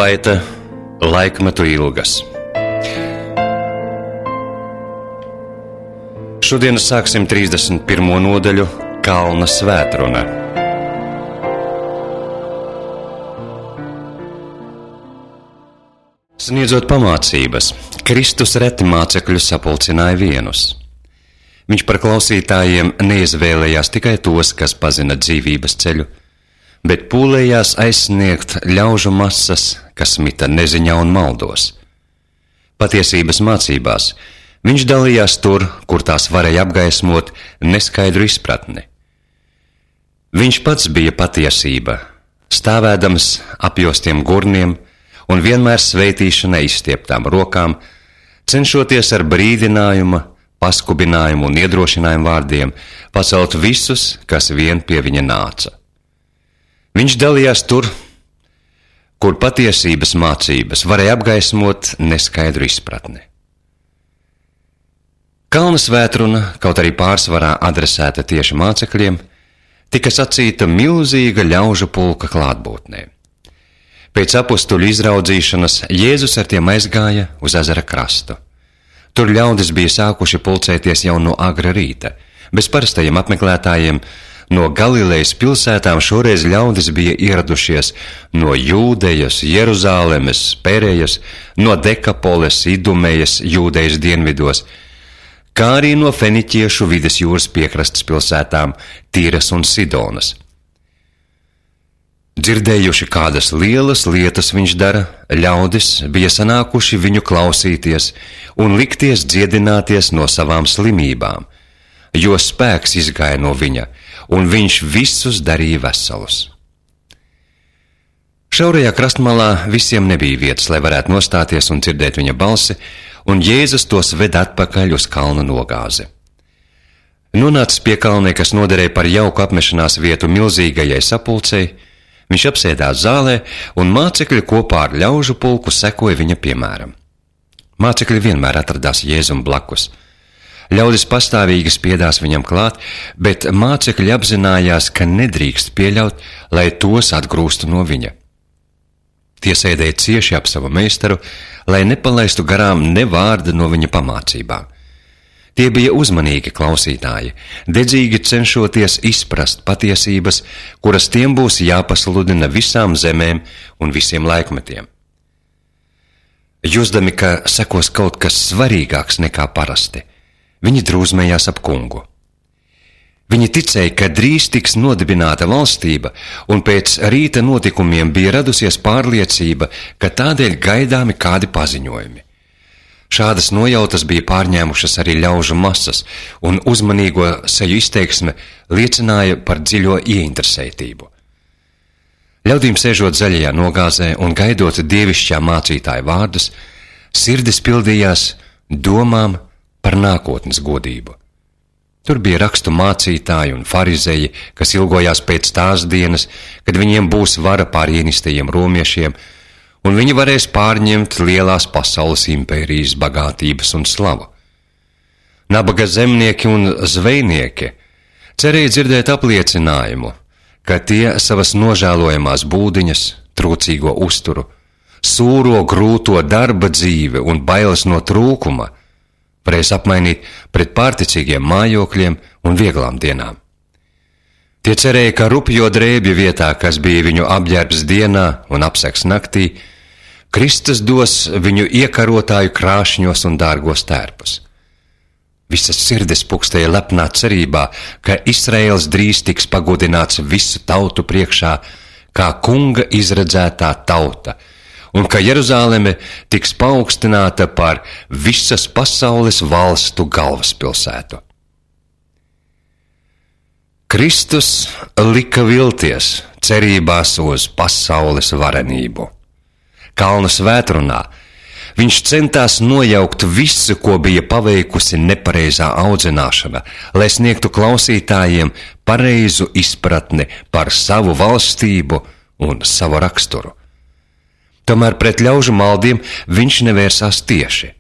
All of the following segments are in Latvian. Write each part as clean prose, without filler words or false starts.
Atskaite laikmetu ilgas. Šodien sāksim 31. nodaļu Kalna svētruna. Sniedzot pamācības, Kristus reti mācekļus sapulcināja vienus. Viņš par klausītājiem neizvēlējās tikai tos, kas pazina dzīvības ceļu, bet pūlējās aizsniegt ļaužu masas, kas mita neziņā un maldos. Patiesības mācībās viņš dalījās tur, kur tās varēja apgaismot neskaidru izpratni. Viņš pats bija patiesība, stāvēdams apjostiem gurniem un vienmēr sveitīšanai izstieptām rokām, cenšoties ar brīdinājumu, paskubinājumu un iedrošinājumu vārdiem pacelt visus, kas vien pie viņa nāca. Viņš dalījās tur, kur patiesības mācības varēja apgaismot neskaidru izpratni. Kalna svētruna, kaut arī pārsvarā adresēta tieši mācekļiem, tika sacīta milzīga ļaužu pulka klātbūtnē. Pēc apustuļu izraudzīšanas Jēzus ar tiem aizgāja uz ezera krastu. Tur ļaudis bija sākuši pulcēties jau no agra rīta. Bez parastajiem apmeklētājiem no Galilejas pilsētām šoreiz ļaudis bija ieradušies no Jūdejas, Jeruzālemes, Perejas, no Dekapoles, Idumejas, Jūdejas dienvidos, kā arī no Feniķiešu vides jūras piekrastes pilsētām Tīras un Sidonas. Dzirdējuši, kādas lielas lietas viņš dara, ļaudis bija sanākuši viņu klausīties un likties dziedināties no savām slimībām, jo spēks izgāja no viņa, un viņš visus darīja veselus. Šaurajā krastmalā visiem nebija vietas, lai varētu nostāties un dzirdēt viņa balsi, un Jēzus tos ved atpakaļ uz kalna nogāzi. Nonācis pie kalnē, kas noderēja par jauku apmešanās vietu milzīgajai sapulcei, viņš apsēdās zālē, un mācekļi kopā ar ļaužu pulku sekoja viņa piemēram. Mācekļi vienmēr atradās Jēzum blakus. Ļaudis pastāvīgi spiedās viņam klāt, bet mācekļi apzinājās, ka nedrīkst pieļaut, lai tos atgrūstu no viņa. Tie sēdēja cieši ap savu meistaru, lai nepalaistu garām ne vārda no viņa pamācībām. Tie bija uzmanīgi klausītāji, dedzīgi cenšoties izprast patiesības, kuras tiem būs jāpasludina visām zemēm un visiem laikmetiem. Jūsdami, ka sekos kaut kas svarīgāks nekā parasti, viņi drūzmējās ap kungu. Viņi ticēja, ka drīz tiks nodibināta valstība, un pēc rīta notikumiem bija radusies pārliecība, ka tādēļ gaidāmi kādi paziņojumi. Šādas nojautas bija pārņēmušas arī ļaužu masas, un uzmanīgo seju izteiksme liecināja par dziļo ieinteresētību. Ļaudīm sēžot zaļajā nogāzē un gaidot dievišķā mācītāja vārdus, sirdis pildījās domām par nākotnes godību. Tur bija rakstu mācītāji un farizeji, kas ilgojās pēc tās dienas, kad viņiem būs vara pār ienistajiem romiešiem, un viņi varēs pārņemt lielās pasaules impērijas bagātības un slavu. Nabaga zemnieki un zvejnieki cerēja dzirdēt apliecinājumu, ka tie savas nožēlojamās būdiņas, trūcīgo uzturu, sūro grūto darba dzīve un bailes no trūkuma varēs apmainīt pret pārticīgiem mājokļiem un vieglām dienām. Tie cerēja, ka rupjo drēbju vietā, kas bija viņu apģērbs dienā un apsegs naktī, Kristus dos viņu iekarotāju krāšņos un dārgos tērpus. Visas sirdis pukstēja lepnā cerībā, ka Izraēls drīz tiks pagodināts visu tautu priekšā, kā kunga izredzētā tauta, un ka Jeruzāleme tiks paaugstināta par visas pasaules valstu galvaspilsētu. Kristus lika vilties cerībās uz pasaules varenību. Kalna svētrunā viņš centās nojaukt visu, ko bija paveikusi nepareizā audzināšana, lai sniegtu klausītājiem pareizu izpratni par savu valstību un savu raksturu. Tomēr pret ļaužu maldiem viņš nevērsās tieši.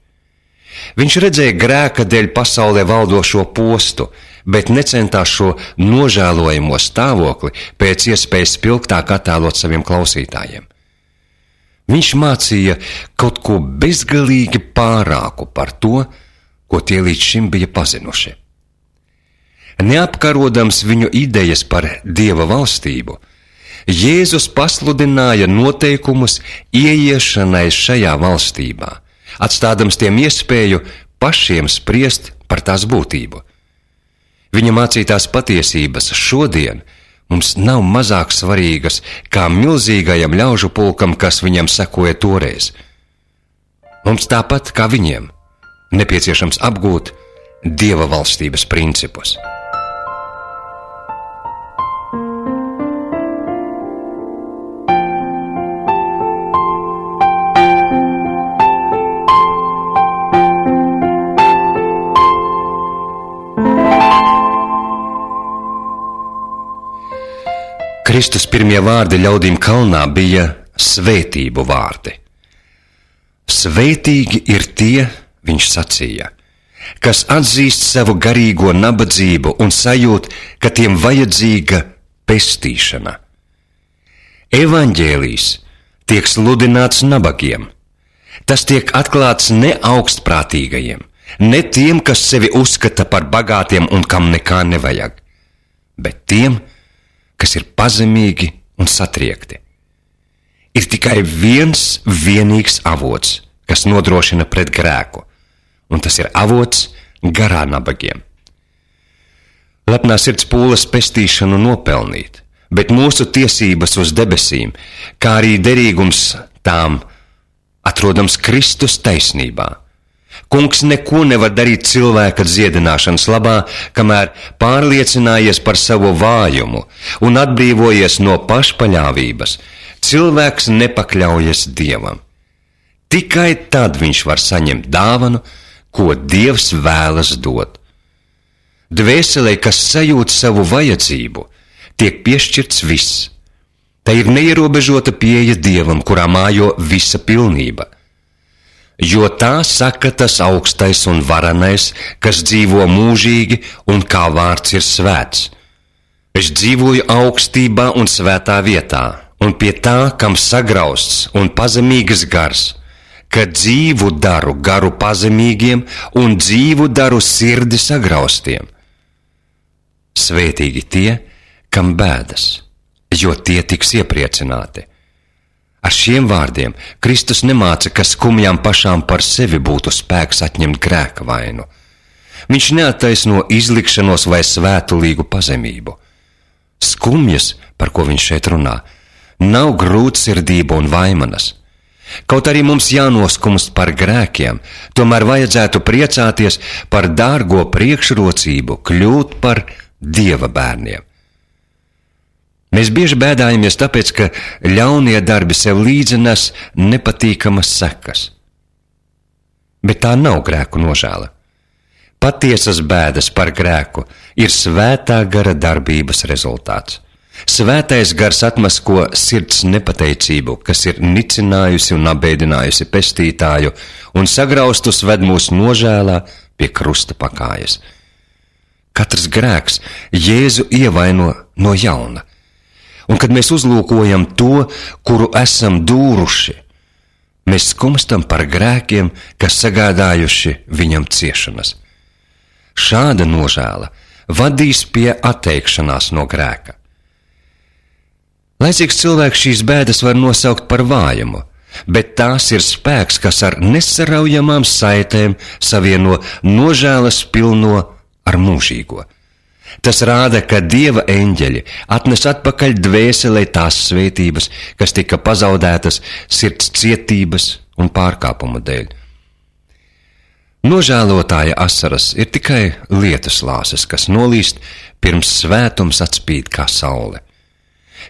Viņš redzēja grēka dēļ pasaulē valdošo postu, bet necentās šo nožēlojamo stāvokli pēc iespējas spilgtāk attēlot saviem klausītājiem. Viņš mācīja kaut ko bezgalīgi pārāku par to, ko tie līdz šim bija pazinuši. Neapkarodams viņu idejas par Dieva valstību, Jēzus pasludināja noteikumus ieiešanai šajā valstībā, atstādams tiem iespēju pašiem spriest par tās būtību. Viņa mācītās patiesības šodien mums nav mazāk svarīgas kā milzīgajam ļaužu pulkam, kas viņam sekoja toreiz. Mums tāpat kā viņiem nepieciešams apgūt Dieva valstības principus. Kristus pirmie vārdi ļaudīm kalnā bija svētību vārdi. Svētīgi ir tie, viņš sacīja, kas atzīst savu garīgo nabadzību un sajūt, ka tiem vajadzīga pestīšana. Evaņģēlijs tiek sludināts nabagiem. Tas tiek atklāts ne augstprātīgajiem, ne tiem, kas sevi uzskata par bagātiem un kam nekā nevajag, bet tiem, kas ir pazemīgi un satriekti. Ir tikai viens vienīgs avots, kas nodrošina pret grēku, un tas ir avots garā nabagiem. Lepnā sirds pūlas pestīšanu nopelnīt, bet mūsu tiesības uz debesīm, kā arī derīgums tām, atrodams Kristus taisnībā. Kungs neko nevar darīt cilvēka dziedināšanas labā, kamēr pārliecinājies par savu vājumu un atbrīvojies no pašpaļāvības, cilvēks nepakļaujas Dievam. Tikai tad viņš var saņemt dāvanu, ko Dievs vēlas dot. Dvēselē, kas sajūt savu vajadzību, tiek piešķirts viss. Tā ir neierobežota pieeja Dievam, kurā mājo visa pilnība. Jo tā saka tas augstais un varenais, kas dzīvo mūžīgi un kā vārds ir svēts. Es dzīvoju augstībā un svētā vietā, un pie tā, kam sagrausts un pazemīgs gars, ka dzīvu daru garu pazemīgiem un dzīvu daru sirdi sagraustiem. Svētīgi tie, kam bēdas, jo tie tiks iepriecināti. Ar šiem vārdiem Kristus nemāca, ka skumjām pašām par sevi būtu spēks atņemt grēka vainu. Viņš neattaisno izlikšanos vai svētulīgu pazemību. Skumjas, par ko viņš šeit runā, nav grūtsirdība un vaimanas. Kaut arī mums jānoskumst par grēkiem, tomēr vajadzētu priecāties par dārgo priekšrocību kļūt par Dieva bērniem. Mēs bieži bēdājamies tāpēc, ka ļaunie darbi sev līdzi nes nepatīkamas sekas. Bet tā nav grēku nožēla. Patiesas bēdas par grēku ir svētā gara darbības rezultāts. Svētais gars atmasko sirds nepateicību, kas ir nicinājusi un apbēdinājusi pestītāju un sagraustus ved mūs nožēlā pie krusta pakājas. Katrs grēks Jēzu ievaino no jauna. Un kad mēs uzlūkojam to, kuru esam dūruši, mēs skumstam par grēkiem, kas sagādājuši viņam ciešanas. Šāda nožēla vadīs pie atteikšanās no grēka. Laicīgs cilvēks šīs bēdas var nosaukt par vājumu, bet tās ir spēks, kas ar nesaraujamām saitēm savieno nožēlas pilno ar mūžīgo. Tas rāda, ka Dieva eņģeļi atnes atpakaļ dvēselē tās svētības, kas tika pazaudētas sirds cietības un pārkāpumu dēļ. Nožēlotāja asaras ir tikai lietus lāses, kas nolīst pirms svētums atspīd kā saule.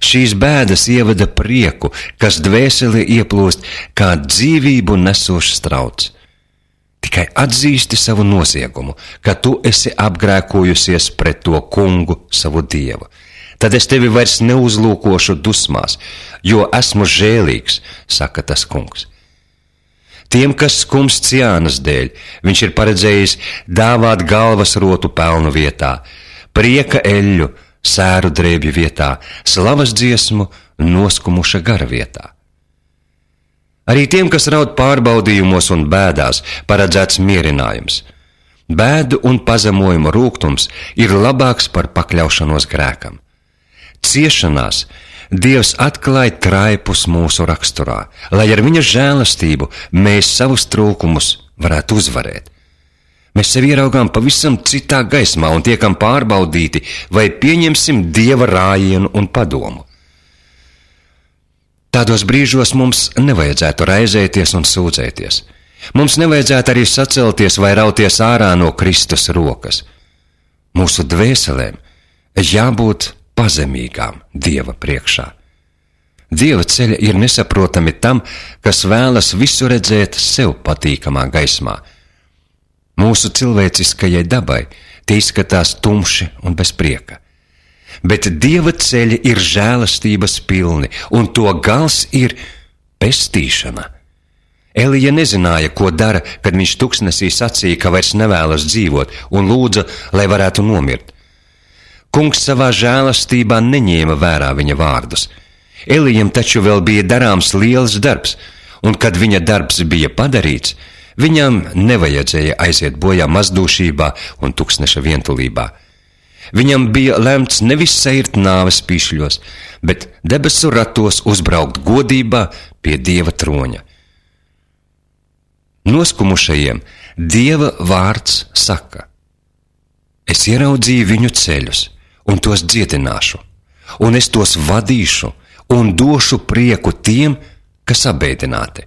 Šīs bēdas ievada prieku, kas dvēselē ieplūst kā dzīvību nesošs trauds. Tikai atzīsti savu noziegumu, ka tu esi apgrēkojusies pret to kungu, savu Dievu. Tad es tevi vairs neuzlūkošu dusmās, jo esmu žēlīgs, saka tas kungs. Tiem, kas skumst Ciānas dēļ, viņš ir paredzējis dāvāt galvas rotu pelnu vietā, prieka eļļu, sēru drēbju vietā, slavas dziesmu, noskumuša gara vietā. Arī tiem, kas raud pārbaudījumos un bēdās, paredzēts mierinājums. Bēdu un pazemojumu rūgtums ir labāks par pakļaušanos grēkam. Ciešanās Dievs atklāja traipus mūsu raksturā, lai ar viņa žēlastību mēs savus trūkumus varētu uzvarēt. Mēs sevi ieraugām pavisam citā gaismā un tiekam pārbaudīti, vai pieņemsim Dieva rājienu un padomu. Tādos brīžos mums nevajadzētu raizēties un sūdzēties. Mums nevajadzētu arī sacelties vai rauties ārā no Kristus rokas. Mūsu dvēselēm jābūt pazemīgām Dieva priekšā. Dieva ceļi ir nesaprotami tam, kas vēlas visu redzēt sev patīkamā gaismā. Mūsu cilvēciskajai dabai tie izskatās tumši un bez prieka. Bet Dieva ceļi ir žēlastības pilni, un to gals ir pestīšana. Elija nezināja, ko dara, kad viņš tuksnesī sacīja, ka vairs nevēlas dzīvot, un lūdza, lai varētu nomirt. Kungs savā žēlastībā neņēma vērā viņa vārdus. Elijam taču vēl bija darāms liels darbs, un kad viņa darbs bija padarīts, viņam nevajadzēja aiziet bojā mazdūšībā un tuksneša vientulībā. Viņam bija lemts nevis seirt nāves pīšļos, bet debesu ratos uzbraukt godībā pie Dieva troņa. Noskumušajiem Dieva vārds saka: es ieraudzīju viņu ceļus un tos dziedināšu, un es tos vadīšu un došu prieku tiem, kas abēdināti.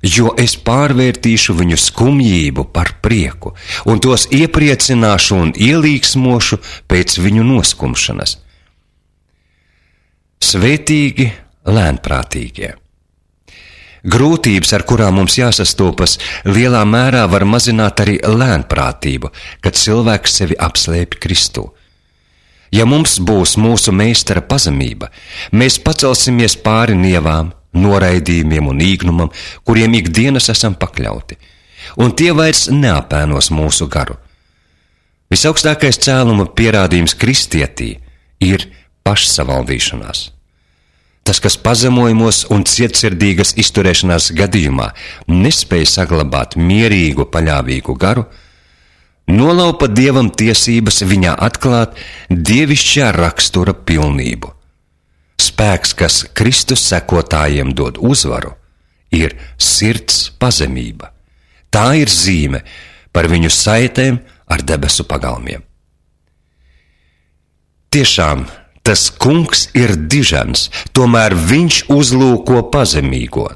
Jo es pārvērtīšu viņu skumjību par prieku, un tos iepriecināšu un ielīgsmošu pēc viņu noskumšanas. Svētīgi lēnprātīgie. Grūtības, ar kurām mums jāsastopas, lielā mērā var mazināt arī lēnprātību, kad cilvēks sevi apslēpj Kristū. Ja mums būs mūsu meistara pazemība, mēs pacelsimies pāri nievām, noraidījumiem un īgnumam, kuriem ikdienas esam pakļauti, un tie vairs neapēnos mūsu garu. Visaugstākais cēluma pierādījums kristietī ir pašsavaldīšanās. Tas, kas pazemojumos un cietsirdīgas izturēšanās gadījumā nespēja saglabāt mierīgu, paļāvīgu garu, nolaupa Dievam tiesības viņā atklāt dievišķā rakstura pilnību. Spēks, kas Kristus sekotājiem dod uzvaru, ir sirds pazemība. Tā ir zīme par viņu saitēm ar debesu pagalmiem. Tiešām, tas kungs ir dižens, tomēr viņš uzlūko pazemīgo.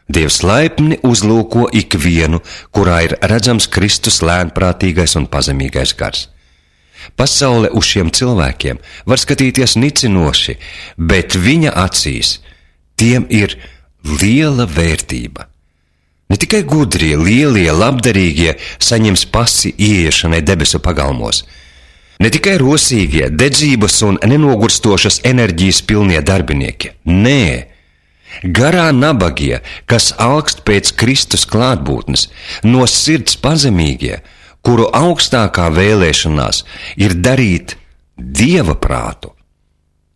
Dievs laipni uzlūko ikvienu, kurā ir redzams Kristus lēnprātīgais un pazemīgais gars. Pasaule uz šiem cilvēkiem var skatīties nicinoši, bet viņa acīs tiem ir liela vērtība. Ne tikai gudrie, lielie, labdarīgie saņems pasi ieiešanai debesu pagalmos. Ne tikai rosīgie, dedzības un nenogurstošas enerģijas pilnie darbinieki. Nē, garā nabagie, kas alkst pēc Kristus klātbūtnes, no sirds pazemīgie, kuru augstākā vēlēšanās ir darīt Dieva prātu,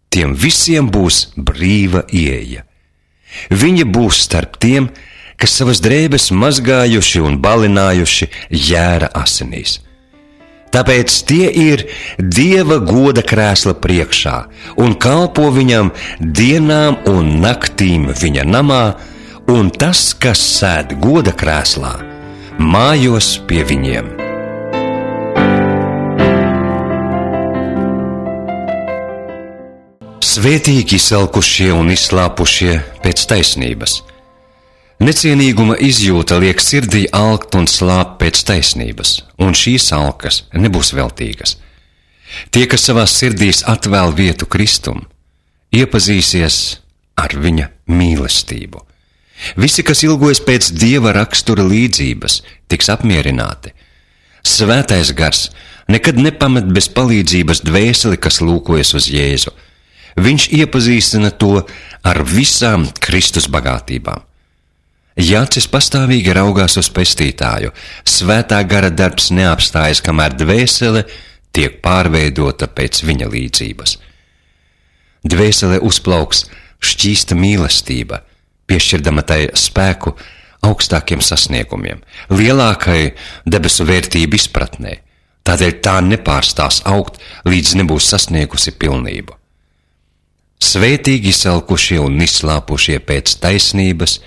tiem visiem būs brīva ieeja. Viņi būs starp tiem, kas savas drēbes mazgājuši un balinājuši jēra asinīs. Tāpēc tie ir Dieva goda krēsla priekšā un kalpo viņam dienām un naktīm viņa namā, un tas, kas sēd goda krēslā, mājos pie viņiem. Svētīgi izsalkušie un izslāpušie pēc taisnības. Necienīguma izjūta liek sirdī alkt un slāpt pēc taisnības, un šīs alkas nebūs veltīgas. Tie, kas savās sirdīs atvēl vietu Kristum, iepazīsies ar viņa mīlestību. Visi, kas ilgojas pēc Dieva rakstura līdzības, tiks apmierināti. Svētais gars nekad nepamet bez palīdzības dvēseli, kas lūkojas uz Jēzu. Viņš iepazīstina to ar visām Kristus bagātībām. Ja acis pastāvīgi raugās uz pestītāju, svētā gara darbs neapstājas, kamēr dvēsele tiek pārveidota pēc viņa līdzības. Dvēsele uzplauks šķīsta mīlestība, piešķirdama tai spēku augstākiem sasniegumiem, lielākai debesu vērtību izpratnē. Tādēļ tā nepārstās augt, līdz nebūs sasniegusi pilnību. Svētīgi izsalkušie un izslāpušie pēc taisnības,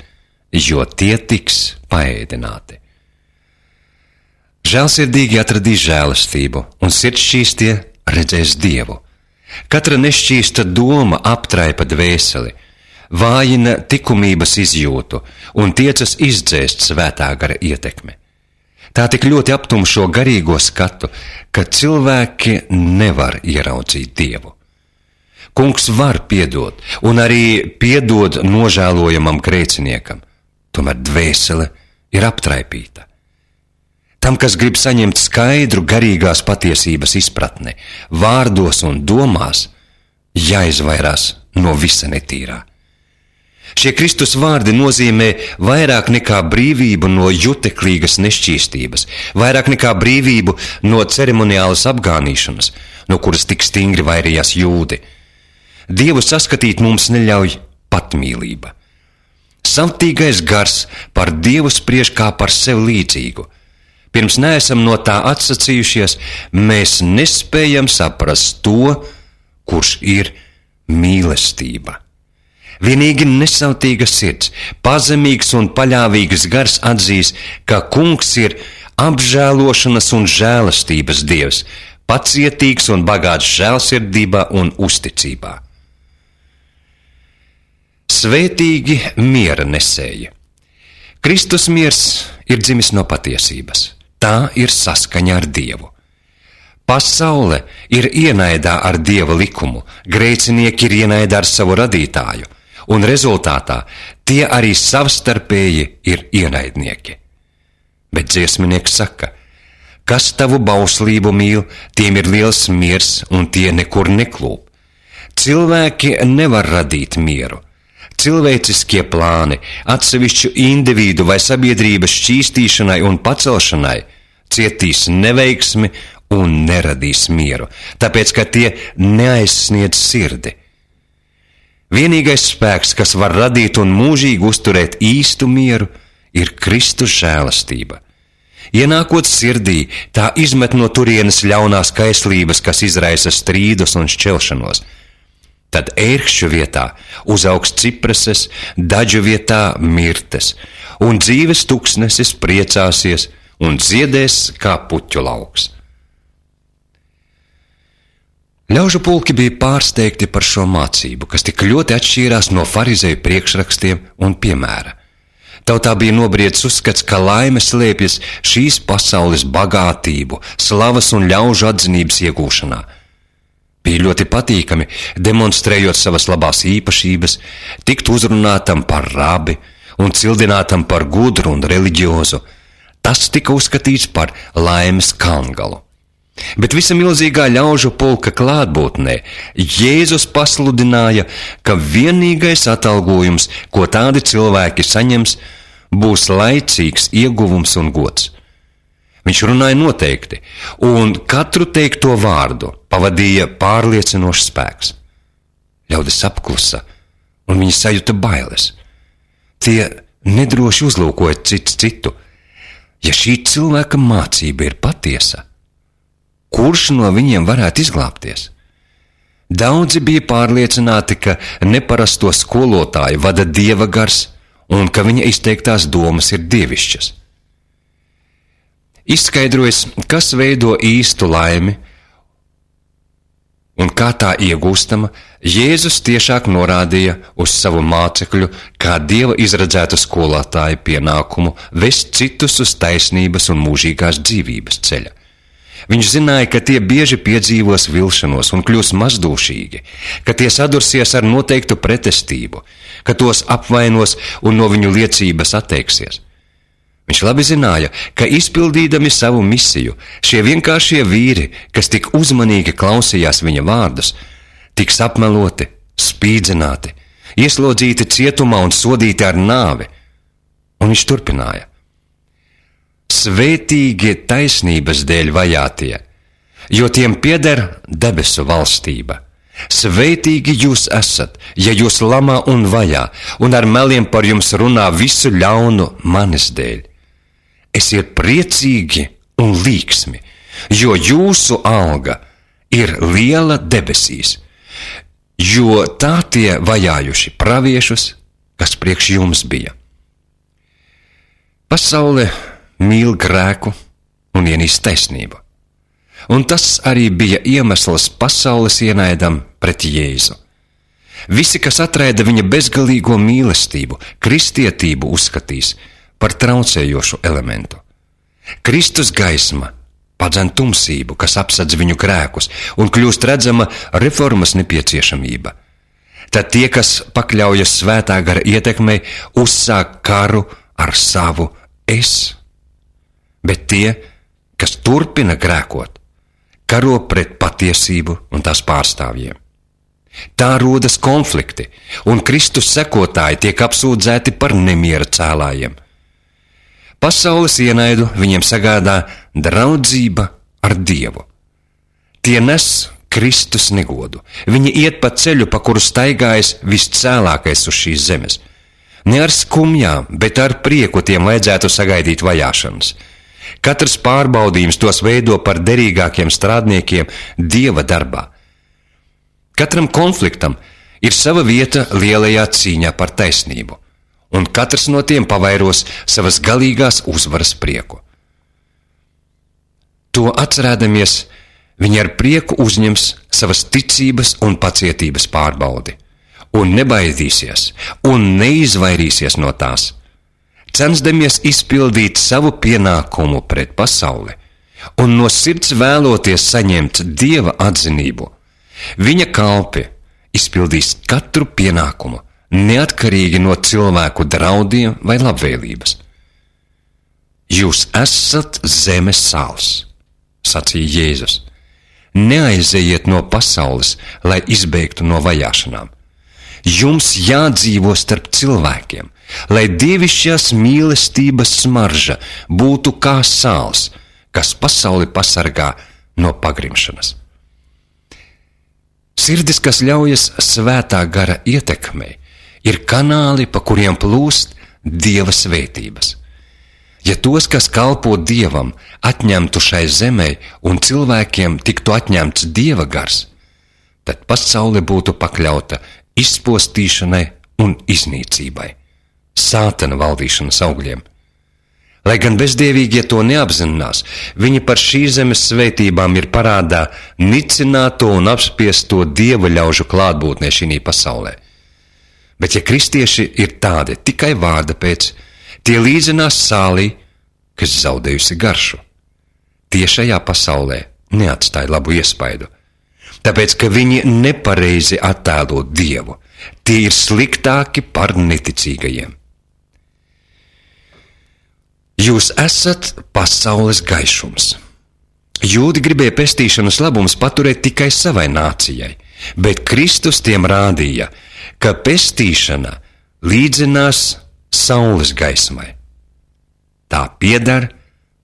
jo tie tiks paēdināti. Žēlsirdīgi atradīs žēlastību, un sirdšķīstie redzēs Dievu. Katra nešķīsta doma aptraipa dvēseli, vājina likumības izjūtu un tiecas izdzēst svētā gara ietekmi. Tā tik ļoti aptumšo garīgo skatu, ka cilvēki nevar ieraudzīt Dievu. Kungs var piedot, un arī piedod nožēlojamam grēciniekam, tomēr dvēsele ir aptraipīta. Tam, kas grib saņemt skaidru garīgās patiesības izpratni, vārdos un domās, jāizvairās no visa netīrā. Šie Kristus vārdi nozīmē vairāk nekā brīvību no juteklīgas nešķīstības, vairāk nekā brīvību no ceremoniālas apgānīšanas, no kuras tik stingri vairījās jūdi. Dievu saskatīt mums neļauj patmīlība. Savtīgais gars par Dievu spriež kā par sev līdzīgu. Pirms neesam no tā atsacījušies, mēs nespējam saprast to, kurš ir mīlestība. Vienīgi nesautīga sirds, pazemīgs un paļāvīgs gars atzīs, ka Kungs ir apžēlošanas un žēlastības Dievs, pacietīgs un bagāts žēlsirdībā un uzticībā. Svētīgi miera nesēji. Kristus miers ir dzimis no patiesības. Tā ir saskaņa ar Dievu. Pasaule ir ienaidā ar Dieva likumu, grēcinieki ir ienaidā ar savu radītāju, un rezultātā tie arī savstarpēji ir ienaidnieki. Bet dziesminieks saka, kas tavu bauslību mīl, tiem ir liels miers, un tie nekur neklūp. Cilvēki nevar radīt mieru. Cilvēciskie plāni, atsevišķu individu vai sabiedrības šķīstīšanai un pacelšanai cietīs neveiksmi un neradīs mieru, tāpēc, ka tie neaizsniedz sirdi. Vienīgais spēks, kas var radīt un mūžīgi uzturēt īstu mieru, ir Kristus žēlastība. Ienākot sirdī, tā izmet no turienes ļaunās kaislības, kas izraisa strīdus un šķelšanos. Tad ērkšķu vietā uzaugs cipreses, daļu vietā mirtes, un dzīves tuksnesis priecāsies un dziedēs kā puķu lauks. Ļaužu pulki bija pārsteigti par šo mācību, kas tik ļoti atšķīrās no farizeju priekšrakstiem un piemēra. Tautā bija nobriedis uzskats, ka laime slēpjas šīs pasaules bagātību, slavas un ļaužu atzinības iegūšanā. Bija ļoti patīkami, demonstrējot savas labās īpašības, tikt uzrunātam par rabi un cildinātam par gudru un reliģiozu. Tas tika uzskatīts par laimes kalngalu. Bet visa milzīgā ļaužu pulka klātbūtnē Jēzus pasludināja, ka vienīgais atalgojums, ko tādi cilvēki saņems, būs laicīgs ieguvums un gods. Viņš runāja noteikti, un katru teikto vārdu pavadīja pārliecinošs spēks. Ļaudis apklusa, un viņi sajuta bailes. Tie nedroši uzlūkoja cits citu. Ja šī cilvēka mācība ir patiesa, kurš no viņiem varētu izglābties? Daudzi bija pārliecināti, ka neparasto skolotāju vada Dieva gars, un ka viņa izteiktās domas ir dievišķas. Izskaidrojas, kas veido īstu laimi un kā tā iegūstama, Jēzus tiešāk norādīja uz savu mācekļu kā Dieva izredzētu skolotāju pienākumu vest citus uz taisnības un mūžīgās dzīvības ceļa. Viņš zināja, ka tie bieži piedzīvos vilšanos un kļūs mazdūšīgi, ka tie sadursies ar noteiktu pretestību, ka tos apvainos un no viņu liecības atteiksies. Viņš labi zināja, ka izpildīdami savu misiju, šie vienkāršie vīri, kas tik uzmanīgi klausījās viņa vārdus, tiks apmeloti, spīdzināti, ieslodzīti cietumā un sodīti ar nāvi. Un viņš turpināja. Svētīgi taisnības dēļ vajātie, jo tiem pieder debesu valstība. Svētīgi jūs esat, ja jūs lamā un vajā, un ar meliem par jums runā visu ļaunu manis dēļ. Esiet priecīgi un līksmi, jo jūsu alga ir liela debesīs, jo tā tie vajājuši praviešus, kas priekš jums bija. Pasaule mīl grēku un ienīst taisnību. Un tas arī bija iemesls pasaules ienaidam pret Jēzu. Visi, kas atraida viņa bezgalīgo mīlestību, kristietību uzskatīs par traucējošu elementu. Kristus gaisma padzen tumsību, kas apsedz viņu grēkus, un kļūst redzama reformas nepieciešamība. Tad tie, kas pakļaujas svētā gara ietekmei, uzsāk karu ar savu es. Bet tie, kas turpina grēkot, karo pret patiesību un tās pārstāvjiem. Tā rodas konflikti, un Kristus sekotāji tiek apsūdzēti par nemiera cēlājiem. Pasaules ienaidu viņiem sagādā draudzība ar Dievu. Tie nes Kristus negodu. Viņi iet pa ceļu, pa kuru staigājas viscēlākais uz šīs zemes. Ne ar skumjām, bet ar prieku tiem vajadzētu sagaidīt vajāšanas. Katrs pārbaudījums tos veido par derīgākiem strādniekiem Dieva darbā. Katram konfliktam ir sava vieta lielajā cīņā par taisnību, un katrs no tiem pavairos savas galīgās uzvaras prieku. To atcerēdamies, viņi ar prieku uzņems savas ticības un pacietības pārbaudi, un nebaidīsies un neizvairīsies no tās, censdamies izpildīt savu pienākumu pret pasauli un no sirds vēloties saņemt Dieva atzinību. Viņa kalpi izpildīs katru pienākumu, neatkarīgi no cilvēku draudiem vai labvēlības. Jūs esat zemes sāls, sacīja Jēzus. Neaizejiet no pasaules, lai izbēgtu no vajāšanām. Jums jādzīvo starp cilvēkiem, lai dievišķās mīlestības smarža būtu kā sāls, kas pasauli pasargā no pagrimšanas. Sirdis, kas ļaujas svētā gara ietekmei, ir kanāli, pa kuriem plūst Dieva svētības. Ja tos, kas kalpo Dievam, atņemtu šai zemei un cilvēkiem tiktu atņemts Dieva gars, tad pasaule būtu pakļauta izpostīšanai un iznīcībai, Sātana valdīšanas augļiem. Lai gan bezdievīgie to neapzinās, viņi par šīs zemes svētībām ir parādā nicināto un apspiesto Dieva ļaužu klātbūtnē šī pasaulē. Bet ja kristieši ir tādi tikai vārda pēc, tie līdzinās sālī, kas zaudējusi garšu. Tie šajā pasaulē neatstāja labu iespaidu, tāpēc, ka viņi nepareizi attēlo Dievu. Tie ir sliktāki par neticīgajiem. Jūs esat pasaules gaišums. Jūdi gribēja pestīšanas labumus paturēt tikai savai nācijai, bet Kristus tiem rādīja, ka pestīšana līdzinās saules gaismai. Tā pieder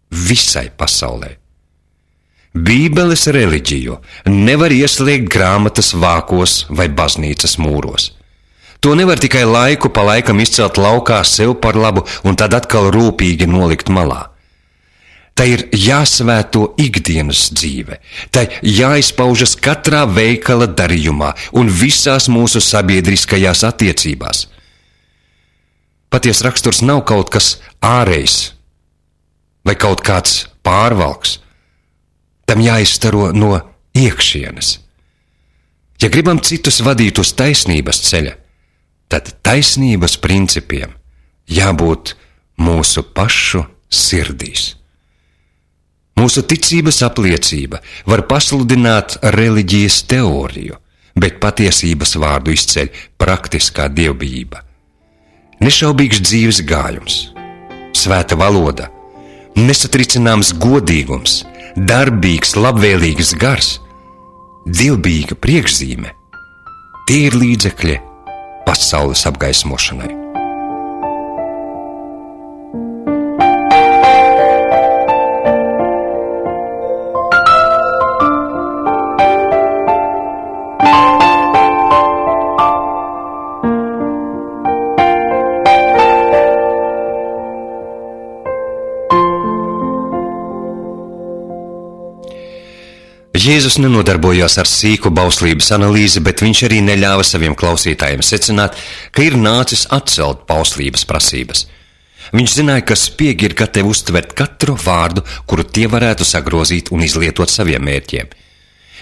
visai pasaulē. Bībeles reliģiju nevar ieslēgt grāmatas vākos vai baznīcas mūros. To nevar tikai laiku pa laikam izcelt laukā sev par labu un tad atkal rūpīgi nolikt malā. Tai ir jāsvēto ikdienas dzīve, tai jāizpaužas katrā veikala darījumā un visās mūsu sabiedriskajās attiecībās. Paties raksturs nav kaut kas ārējs vai kaut kāds pārvalks. Tam jāizstaro no iekšienes. Ja gribam citus vadīt uz taisnības ceļa, tad taisnības principiem jābūt mūsu pašu sirdīs. Mūsu ticības apliecība var pasludināt reliģijas teoriju, bet patiesības vārdu izceļ praktiskā dievbijība. Nešaubīgs dzīves gājums, svēta valoda, nesatricināms godīgums, darbīgs, labvēlīgs gars, dievbijīga priekšzīme, tie ir līdzekļi pasaules apgaismošanai. Jēzus nenodarbojās ar sīku bauslības analīzi, bet viņš arī neļāva saviem klausītājiem secināt, ka ir nācis atcelt bauslības prasības. Viņš zināja, ka spiegi ir gatavi uztvert katru vārdu, kuru tie varētu sagrozīt un izlietot saviem mērķiem.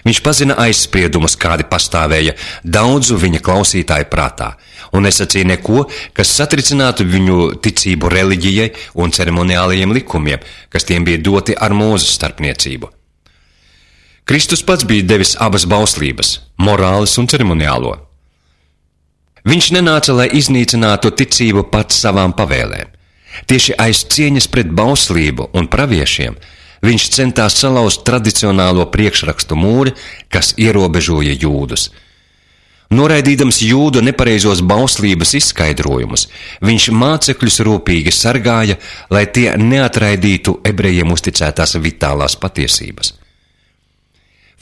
Viņš pazina aizspriedumus, kādi pastāvēja daudzu viņa klausītāju prātā, un nesacīja neko, kas satricinātu viņu ticību reliģijai un ceremoniālajiem likumiem, kas tiem bija doti ar Mūzes starpniecību. Kristus pats bija devis abas bauslības, morāles un ceremoniālo. Viņš nenāca, lai iznīcinātu ticību pats savām pavēlēm. Tieši aiz cieņas pret bauslību un praviešiem viņš centās salauzt tradicionālo priekšrakstu mūri, kas ierobežoja jūdus. Noraidīdams jūdu nepareizos bauslības izskaidrojumus, viņš mācekļus rūpīgi sargāja, lai tie neatraidītu ebrejiem uzticētās vitālās patiesības.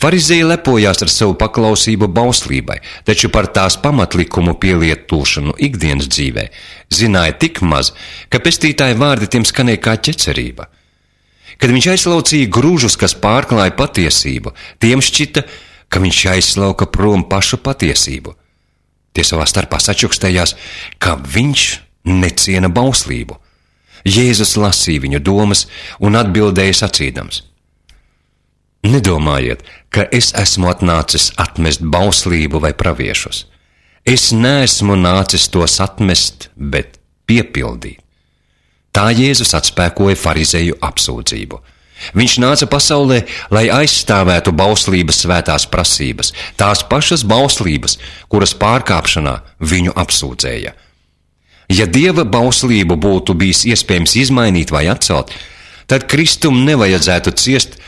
Farizēji lepojās ar savu paklausību bauslībai, taču par tās pamatlikumu pielietošanu ikdienas dzīvē zināja tik maz, ka pestītāja vārdi tiem skanēja kā ķecerība. Kad viņš aizlaucīja grūžus, kas pārklāja patiesību, tiem šķita, ka viņš aizlauka prom pašu patiesību. Tie savā starpā sačukstējās, ka viņš neciena bauslību. Jēzus lasīja viņu domas un atbildēja sacīdams: Nedomājiet, ka es esmu atnācis atmest bauslību vai praviešus. Es neesmu nācis tos atmest, bet piepildīt. Tā Jēzus atspēkoja farizēju apsūdzību. Viņš nāca pasaulē, lai aizstāvētu bauslības svētās prasības, tās pašas bauslības, kuras pārkāpšanā viņu apsūdzēja. Ja Dieva bauslību būtu bijis iespējams izmainīt vai atcelt, tad Kristum nevajadzētu ciest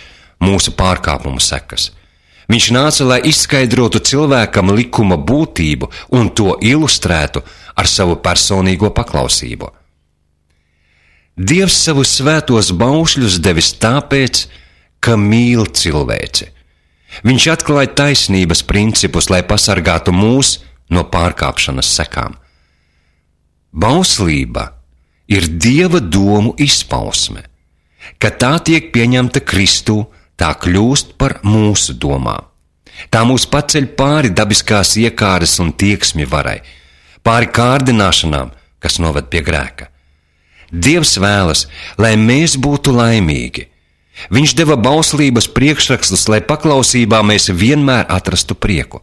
mūsu pārkāpumu sekas. Viņš nāca, lai izskaidrotu cilvēkam likuma būtību un to ilustrētu ar savu personīgo paklausību. Dievs savus svētos baušļus devis tāpēc, ka mīl cilvēci. Viņš atklāja taisnības principus, lai pasargātu mūs no pārkāpšanas sekām. Bauslība ir Dieva domu izpausme. Kad tā tiek pieņemta Kristū, tā kļūst par mūsu domām. Tā mūs paceļ pāri dabiskās iekāres un tieksmi varai, pāri kārdināšanām, kas noved pie grēka. Dievs vēlas, lai mēs būtu laimīgi. Viņš deva bauslības priekšrakstus, lai paklausībā mēs vienmēr atrastu prieku.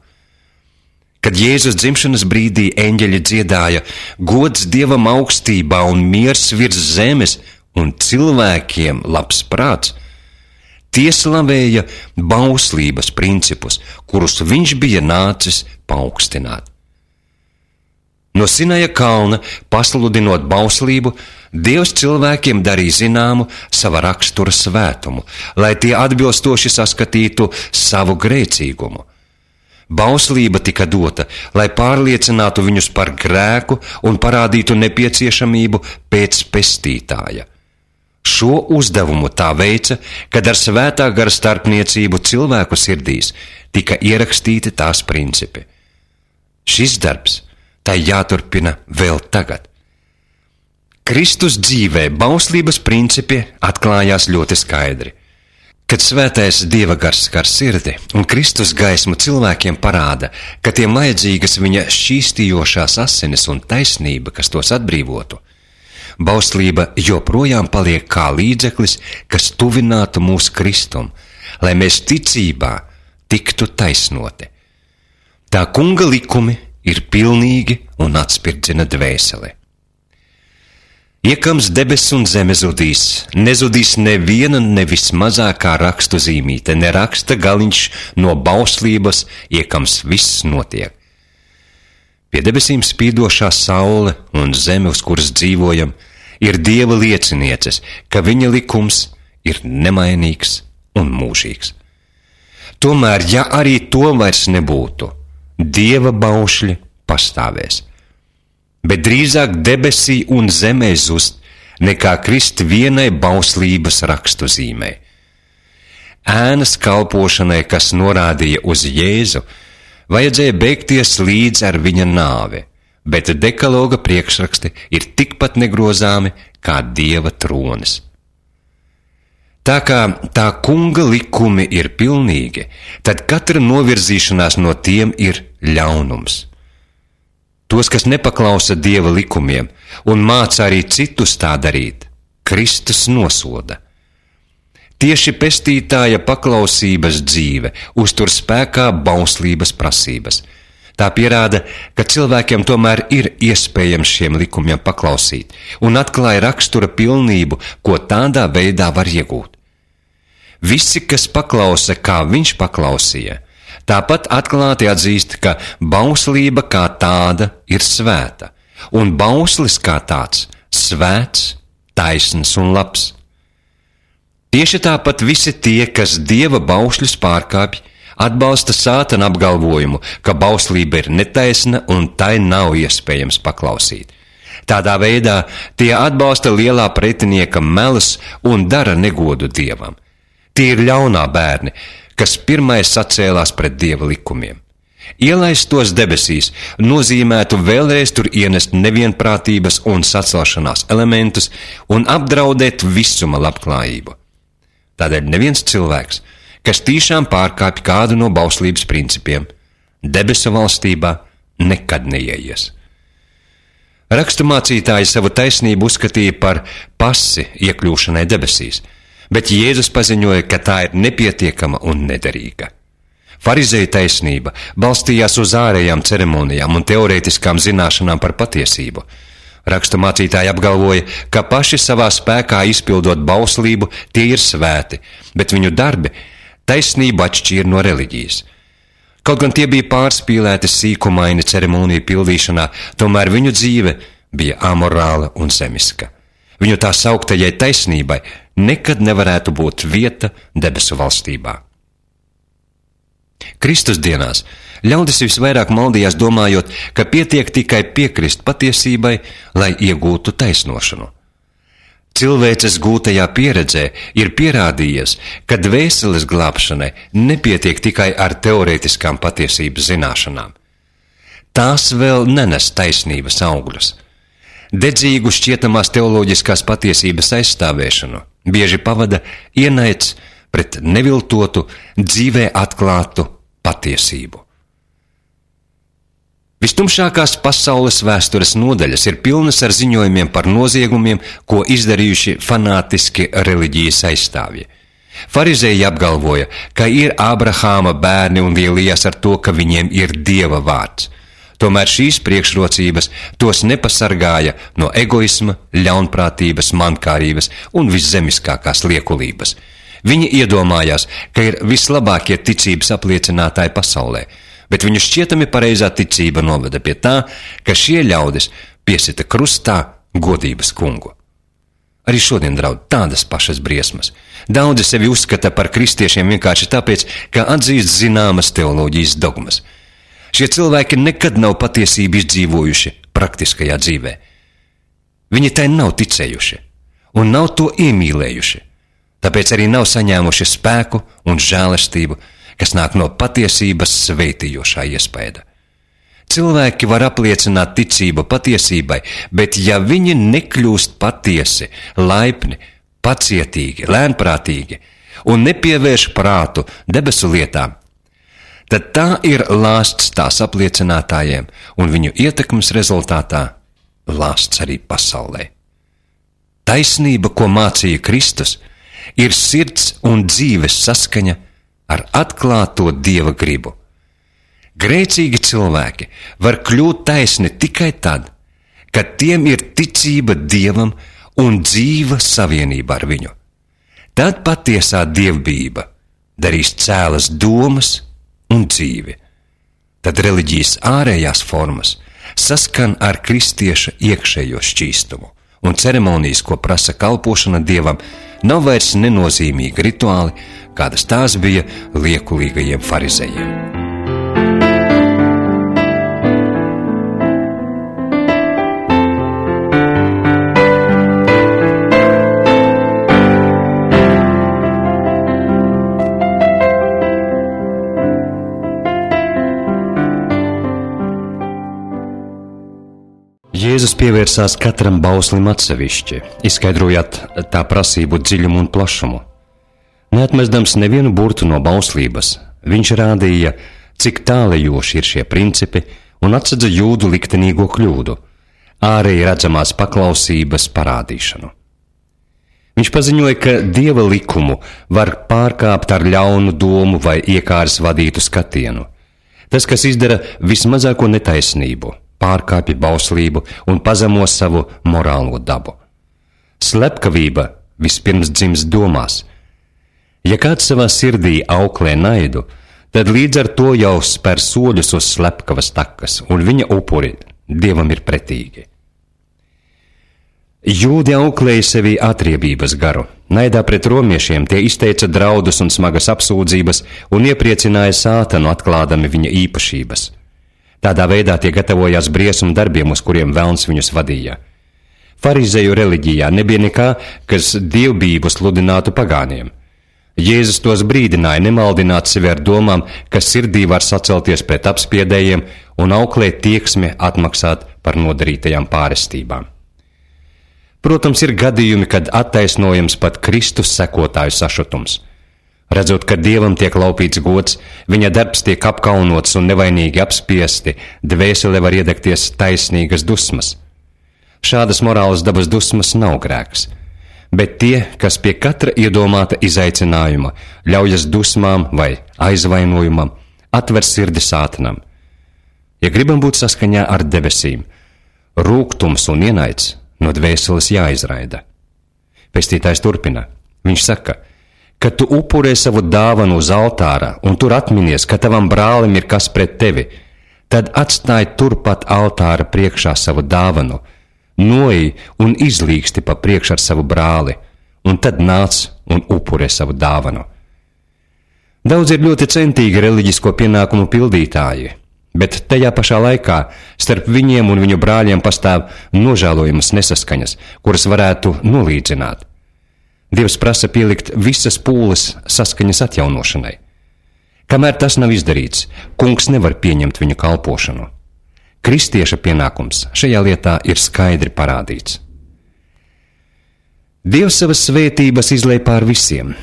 Kad Jēzus dzimšanas brīdī eņģeļi dziedāja gods Dievam augstībā un miers virs zemes un cilvēkiem labs prāts, tie slavēja bauslības principus, kurus viņš bija nācis paaugstināt. No Sinaja kalna, pasludinot bauslību, Dievs cilvēkiem darīja zināmu sava rakstura svētumu, lai tie atbilstoši saskatītu savu grēcīgumu. Bauslība tika dota, lai pārliecinātu viņus par grēku un parādītu nepieciešamību pēc pestītāja. Šo uzdevumu tā veica, kad ar svētā gara starpniecību cilvēku sirdīs tika ierakstīti tās principi. Šis darbs tai jāturpina vēl tagad. Kristus dzīvē bauslības principi atklājās ļoti skaidri. Kad svētais Dieva gars skar sirdi un Kristus gaismu cilvēkiem parāda, ka tiem vajadzīgas viņa šķīstījošās asinis un taisnība, kas tos atbrīvotu, bauslība joprojām paliek kā līdzeklis, kas tuvinātu mūs Kristum, lai mēs ticībā tiktu taisnoti. Tā kunga likumi ir pilnīgi un atspirdzina dvēseli. Iekams debes un zeme zudīs, nezudīs neviena nevis mazākā rakstu zīmīte, ne raksta galiņš no bauslības, iekams viss notiek. Pie debesīm spīdošā saule un zeme, uz kuras dzīvojam, ir Dieva liecinieces, ka viņa likums ir nemainīgs un mūžīgs. Tomēr, ja arī to vairs nebūtu, Dieva baušļi pastāvēs. Bet drīzāk debesī un zemē zust, nekā krist vienai bauslības rakstu zīmei. Ēnas kalpošanai, kas norādīja uz Jēzu, vajadzēja beigties līdz ar viņa nāvi, bet dekaloga priekšraksti ir tikpat negrozāmi kā Dieva tronis. Tā kā tā kunga likumi ir pilnīgi, tad katra novirzīšanās no tiem ir ļaunums. Tos, kas nepaklausa Dieva likumiem un māca arī citus tā darīt, Kristus nosoda. Tieši pestītāja paklausības dzīve uztur spēkā bauslības prasības. Tā pierāda, ka cilvēkiem tomēr ir iespējams šiem likumiem paklausīt un atklāja rakstura pilnību, ko tādā veidā var iegūt. Visi, kas paklausa, kā viņš paklausīja, tāpat atklāti atzīst, ka bauslība kā tāda ir svēta, un bauslis kā tāds svēts, taisns un labs. Tieši tāpat visi tie, kas Dieva baušļus pārkāpj, atbalsta sātana apgalvojumu, ka bauslība ir netaisna un tai nav iespējams paklausīt. Tādā veidā tie atbalsta lielā pretinieka melus un dara negodu Dievam. Tie ir ļaunā bērni, kas pirmais sacēlās pret Dieva likumiem. Ielaist tos debesīs nozīmētu vēlreiz tur ienest nevienprātības un sacelšanās elementus un apdraudēt visuma labklājību. Tādēļ neviens cilvēks, kas tiešām pārkāpj kādu no bauslības principiem, debesu valstībā nekad neieies. Raksturmācītāji savu taisnību uzskatīja par pasi iekļūšanai debesīs, bet Jēzus paziņoja, ka tā ir nepietiekama un nederīga. Farizeju taisnība balstījās uz ārējām ceremonijām un teorētiskām zināšanām par patiesību. Raksturmācītāji apgalvoja, ka paši savā spēkā izpildot bauslību tie ir svēti, bet viņu darbi taisnību atšķīra no reliģijas. Kaut gan tie bija pārspīlēti sīkumaini ceremoniju pildīšanā, tomēr viņu dzīve bija amorāla un zemiska. Viņu tā sauktajai taisnībai nekad nevarētu būt vieta debesu valstībā. Kristus dienās ļaudis visvairāk maldījās domājot, ka pietiek tikai piekrist patiesībai, lai iegūtu taisnošanu. Cilvēces gūtajā pieredzē ir pierādījies, ka dvēseles glābšanai nepietiek tikai ar teorētiskām patiesības zināšanām. Tās vēl nenes taisnības augļus. Dedzīgu šķietamās teoloģiskās patiesības aizstāvēšanu bieži pavada ienaids pret neviltotu, dzīvē atklātu patiesību. Vistumšākās pasaules vēstures nodaļas ir pilnas ar ziņojumiem par noziegumiem, ko izdarījuši fanātiski reliģijas aizstāvji. Farizēji apgalvoja, ka ir Ābrahāma bērni un lielījās ar to, ka viņiem ir Dieva vārds. Tomēr šīs priekšrocības tos nepasargāja no egoisma, ļaunprātības, mankārības un viszemiskākās liekulības. Viņi iedomājās, ka ir vislabākie ticības apliecinātāji pasaulē, bet viņu šķietami pareizā ticība noveda pie tā, ka šie ļaudis piesita krustā godības kungu. Arī šodien draud tādas pašas briesmas. Daudzi sevi uzskata par kristiešiem vienkārši tāpēc, ka atzīst zināmas teoloģijas dogmas. Šie cilvēki nekad nav patiesību izdzīvojuši praktiskajā dzīvē. Viņi tai nav ticējuši un nav to iemīlējuši, tāpēc arī nav saņēmuši spēku un žēlastību, kas nāk no patiesības sveitījošā iespēja. Cilvēki var apliecināt ticību patiesībai, bet ja viņi nekļūst patiesi, laipni, pacietīgi, lēnprātīgi un nepievērš prātu debesu lietām, tad tā ir lāsts tās apliecinātājiem un viņu ietekmes rezultātā lāsts arī pasaulē. Taisnība, ko mācīja Kristus, ir sirds un dzīves saskaņa ar atklāto Dieva gribu. Grēcīgi cilvēki var kļūt taisni tikai tad, kad tiem ir ticība Dievam un dzīva savienība ar viņu. Tad patiesā dievbijība darīs cēlas domas un dzīvi. Tad reliģijas ārējās formas saskan ar kristieša iekšējo šķīstumu, un ceremonijas, ko prasa kalpošana Dievam, nav vairs nenozīmīgi rituāli, kādas tās bija liekulīgajiem farizejiem. Jēzus pievērsās katram bauslim atsevišķi, izskaidrojot tā prasību dziļumu un plašumu. Neatmesdams nevienu burtu no bauslības, viņš rādīja, cik tālajoši ir šie principi un atsadza jūdu liktenīgo kļūdu, ārēji redzamās paklausības parādīšanu. Viņš paziņoja, ka Dieva likumu var pārkāpt ar ļaunu domu vai iekāres vadītu skatienu. Tas, kas izdara vismazāko netaisnību, pārkāpja bauslību un pazemo savu morālo dabu. Slepkavība vispirms dzimst domās. Ja kāds savā sirdī auklē naidu, tad līdz ar to jau spēr soļus uz slepkavas takas, un viņa upuri Dievam ir pretīgi. Jūdi auklēja sevī atriebības garu. Naidā pret romiešiem tie izteica draudus un smagas apsūdzības un iepriecināja Sātanu, atklādami viņa īpašības. Tādā veidā tie gatavojās briesmu darbiem, uz kuriem velns viņus vadīja. Farizeju reliģijā nebija nekā, kas dievbijību sludinātu pagāniem. Jēzus tos brīdināja nemaldināt sevi ar domām, ka sirdī var sacelties pret apspiedējiem un auklēt tieksmi atmaksāt par nodarītajām pārestībām. Protams, ir gadījumi, kad attaisnojams pat Kristus sekotāju sašutums. Redzot, ka Dievam tiek laupīts gods, viņa darbs tiek apkaunots un nevainīgi apspiesti, dvēsele var iedegties taisnīgas dusmas. Šādas morālas dabas dusmas nav grēks, bet tie, kas pie katra iedomāta izaicinājuma ļaujas dusmām vai aizvainojumam, atver sirdi Sātanam. Ja gribam būt saskaņā ar debesīm, rūgtums un ienaids no dvēseles jāizraida. Pestītājs turpina. Viņš saka, kad tu upurē savu dāvanu uz altāra un tur atminies, ka tavam brālim ir kas pret tevi, tad atstāj turpat altāra priekšā savu dāvanu, noej un izlīgsti pa priekš ar savu brāli, un tad nāc un upurē savu dāvanu. Daudz ir ļoti centīgi reliģisko pienākumu pildītāji, bet tajā pašā laikā starp viņiem un viņu brāļiem pastāv nožēlojamas nesaskaņas, kuras varētu nolīdzināt. Dievs prasa pielikt visas pūles saskaņas atjaunošanai. Kamēr tas nav izdarīts, kungs nevar pieņemt viņu kalpošanu. Kristieša pienākums šajā lietā ir skaidri parādīts. Dievs savas svētības izlej pār visiem.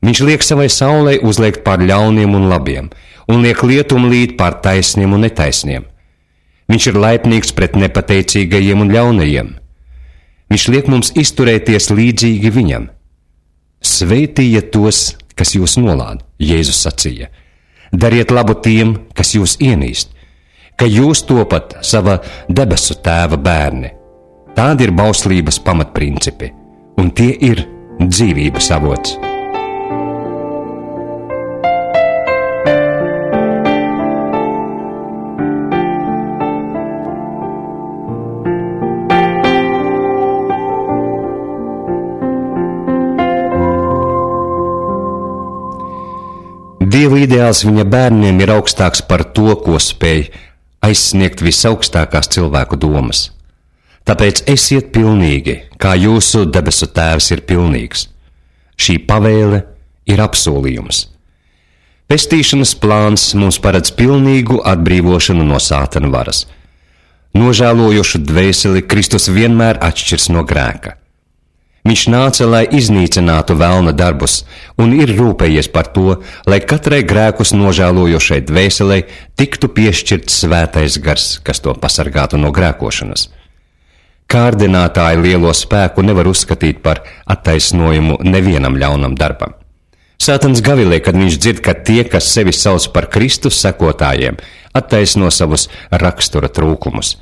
Viņš liek savai saulei uzliekt pār ļauniem un labiem, un liek lietumu līt pār taisniem un netaisniem. Viņš ir laipnīgs pret nepateicīgajiem un ļaunajiem. Viņš liek mums izturēties līdzīgi viņam. Svētījiet tos, kas jūs nolāda, Jēzus sacīja. Dariet labu tiem, kas jūs ienīst, ka jūs topat sava debesu tēva bērni. Tādi ir bauslības pamatprincipi, un tie ir dzīvības avots. Dieva ideāls viņa bērniem ir augstāks par to, ko spēj aizsniegt visaugstākās cilvēku domas. Tāpēc esiet pilnīgi, kā jūsu debesu tēvs ir pilnīgs. Šī pavēle ir apsolījums. Pestīšanas plāns mums paredz pilnīgu atbrīvošanu no Sātana varas. Nožēlojošu dvēseli Kristus vienmēr atšķirs no grēka. Viņš nāca, lai iznīcinātu velna darbus, un ir rūpējies par to, lai katrai grēkus nožēlojošai dvēselei tiktu piešķirts svētais gars, kas to pasargātu no grēkošanas. Kārdinātāji lielo spēku nevar uzskatīt par attaisnojumu nevienam ļaunam darbam. Sātans gavilē, kad viņš dzird, ka tie, kas sevi sauc par Kristus sekotājiem, attaisno savus rakstura trūkumus.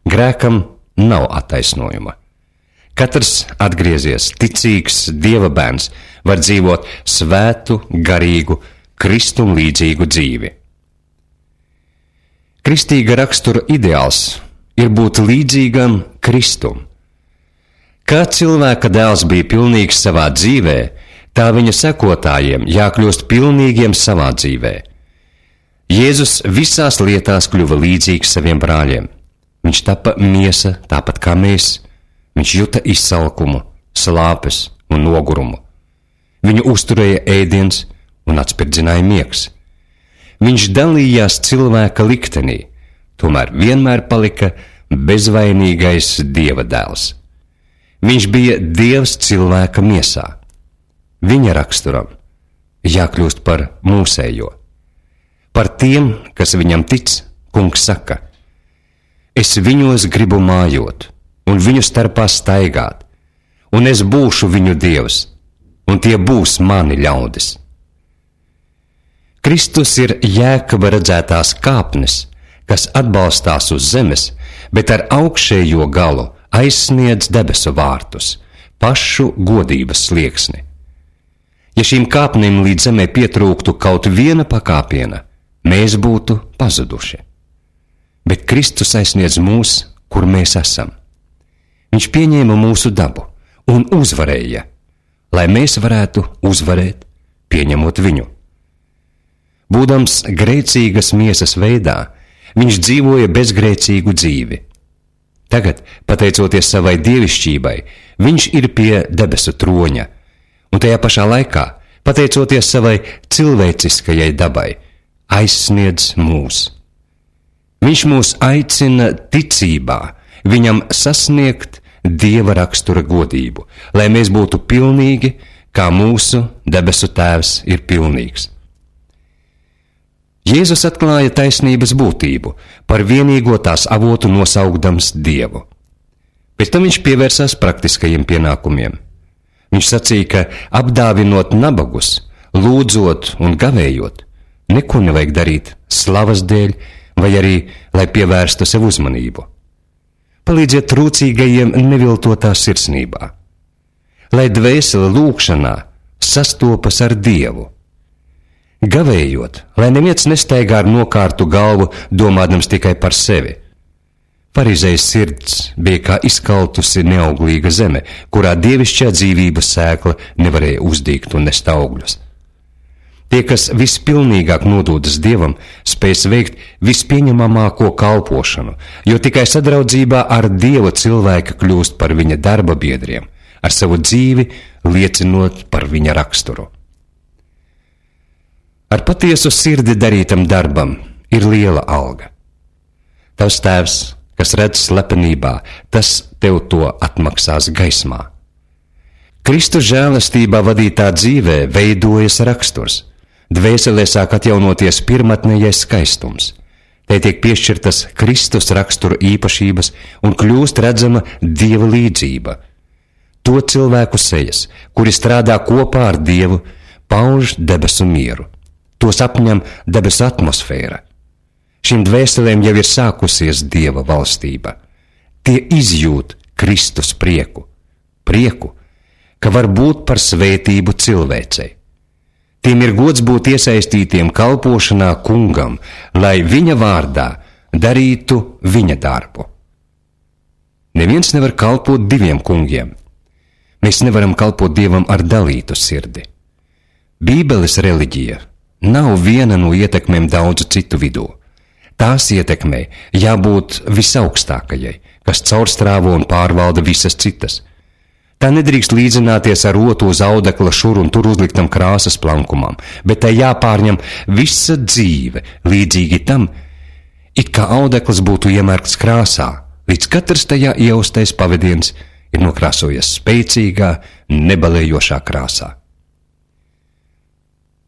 Grēkam nav attaisnojuma. Katrs atgriezies, ticīgs Dieva bērns var dzīvot svētu, garīgu, Kristum līdzīgu dzīvi. Kristīga rakstura ideāls ir būt līdzīgam Kristum. Kā cilvēka dēls bija pilnīgs savā dzīvē, tā viņa sekotājiem jākļūst pilnīgiem savā dzīvē. Jēzus visās lietās kļuva līdzīgs saviem brāļiem. Viņš tapa miesa tāpat kā mēs. Viņš juta izsalkumu, slāpes un nogurumu. Viņu uzturēja ēdiens un atspirdzināja miegs. Viņš dalījās cilvēka liktenī, tomēr vienmēr palika bezvainīgais Dieva dēls. Viņš bija Dievs cilvēka miesā. Viņa raksturam jākļūst par mūsējo. Par tiem, kas viņam tic, Kungs saka: es viņos gribu mājot, un viņu starpā staigāt, un es būšu viņu Dievs, un tie būs mani ļaudis. Kristus ir Jēkaba redzētās kāpnes, kas atbalstās uz zemes, bet ar augšējo galu aizsniedz debesu vārtus, pašu godības slieksni. Ja šīm kāpnēm līdz zemē pietrūktu kaut viena pakāpiena, mēs būtu pazuduši. Bet Kristus aizsniedz mūs, kur mēs esam. Viņš pieņēma mūsu dabu un uzvarēja, lai mēs varētu uzvarēt, pieņemot viņu. Būdams grēcīgas miesas veidā, viņš dzīvoja bezgrēcīgu dzīvi. Tagad, pateicoties savai dievišķībai, viņš ir pie debesu troņa, un tajā pašā laikā, pateicoties savai cilvēciskajai dabai, aizsniedz mūs. Viņš mūs aicina ticībā, viņam sasniegt Dieva rakstura godību, lai mēs būtu pilnīgi, kā mūsu debesu Tēvs ir pilnīgs. Jēzus atklāja taisnības būtību, par vienīgo tās avotu nosaukdams Dievu. Pēc tam viņš pievērsās praktiskajiem pienākumiem. Viņš sacīja, ka apdāvinot nabagus, lūdzot un gavējot, neko nevajag darīt slavas dēļ vai arī, lai pievērstu sev uzmanību. Palīdziet trūcīgajiem neviltotā sirsnībā, lai dvēsele lūgšanā sastopas ar Dievu. Gavējot, lai neviens nestaigā ar nokārtu galvu, domādams tikai par sevi. Farizējas sirds bija kā izkaltusi neauglīga zeme, kurā dievišķā dzīvības sēkla nevarēja uzdīgt un nest augļus. Tie, kas vispilnīgāk nodūdas Dievam, spēs veikt vispieņemamāko kalpošanu, jo tikai sadraudzībā ar Dievu cilvēki kļūst par viņa darba biedriem, ar savu dzīvi liecinot par viņa raksturu. Ar patiesu sirdi darītam darbam ir liela alga. Tavs Tēvs, kas redz slepenībā, tas tev to atmaksās gaismā. Kristus žēlastībā vadītā dzīvē veidojas raksturs. Dvēselē sāk atjaunoties pirmatnējais skaistums. Te tiek piešķirtas Kristus rakstura īpašības un kļūst redzama Dieva līdzība. To cilvēku sejas, kuri strādā kopā ar Dievu, pauž debesu mieru. Tos apņem debesu atmosfēra. Šīm dvēselēm jau ir sākusies Dieva valstība. Tie izjūt Kristus prieku, ka var būt par svētību cilvēcei. Tiem ir gods būt iesaistītiem kalpošanā Kungam, lai viņa vārdā darītu viņa darbu. Neviens nevar kalpot diviem kungiem. Mēs nevaram kalpot Dievam ar dalītu sirdi. Bībeles reliģija nav viena no ietekmēm daudzu citu vidū. Tās ietekmei jābūt visaugstākajai, kas caurstrāvo un pārvalda visas citas. Tā nedrīkst līdzināties ar rotu uz audekla šur un tur uzliktam krāsas plankumam, bet tai jāpārņem visa dzīve līdzīgi tam, it kā audekls būtu iemērkts krāsā, līdz katrs tajā ieaustais pavadiens ir nokrāsojies spēcīgā, nebalējošā krāsā.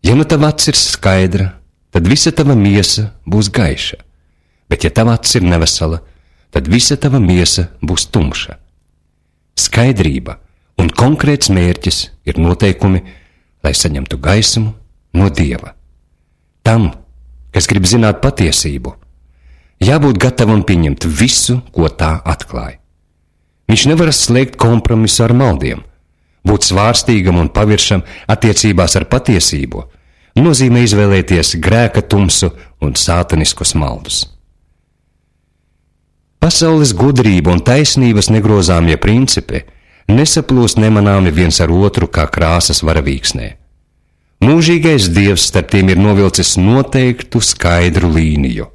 Ja nu tava acs ir skaidra, tad visa tava miesa būs gaiša, bet ja tava acs ir nevesela, tad visa tava miesa būs tumša. Skaidrība un konkrēts mērķis ir noteikumi, lai saņemtu gaismu no Dieva. Tam, kas grib zināt patiesību, jābūt gatavam pieņemt visu, ko tā atklāja. Viņš nevar slēgt kompromisu ar maldiem. Būt svārstīgam un paviršam attiecībās ar patiesību nozīmē izvēlēties grēka tumsu un sātaniskus maldus. Pasaules gudrība un taisnības negrozāmie principi nesaplūst nemanāmi viens ar otru kā krāsas varavīksnē. Mūžīgais Dievs starp tiem ir novilcis noteiktu skaidru līniju.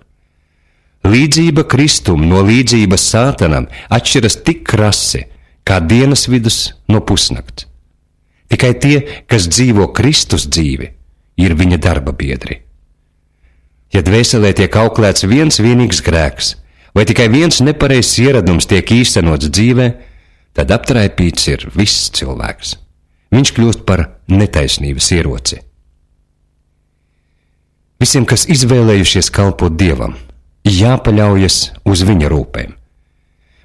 Līdzība Kristum no līdzības sātanam atšķiras tik krasi, kā dienas vidus no pusnakts. Tikai tie, kas dzīvo Kristus dzīvi, ir viņa darba biedri. Ja dvēselē tiek auklēts viens vienīgs grēks, vai tikai viens nepareizs ieradums tiek īstenots dzīvē, tad aptraipīts ir viss cilvēks. Viņš kļūst par netaisnības ieroci. Visiem, kas izvēlējušies kalpot Dievam, jāpaļaujas uz viņa rūpēm.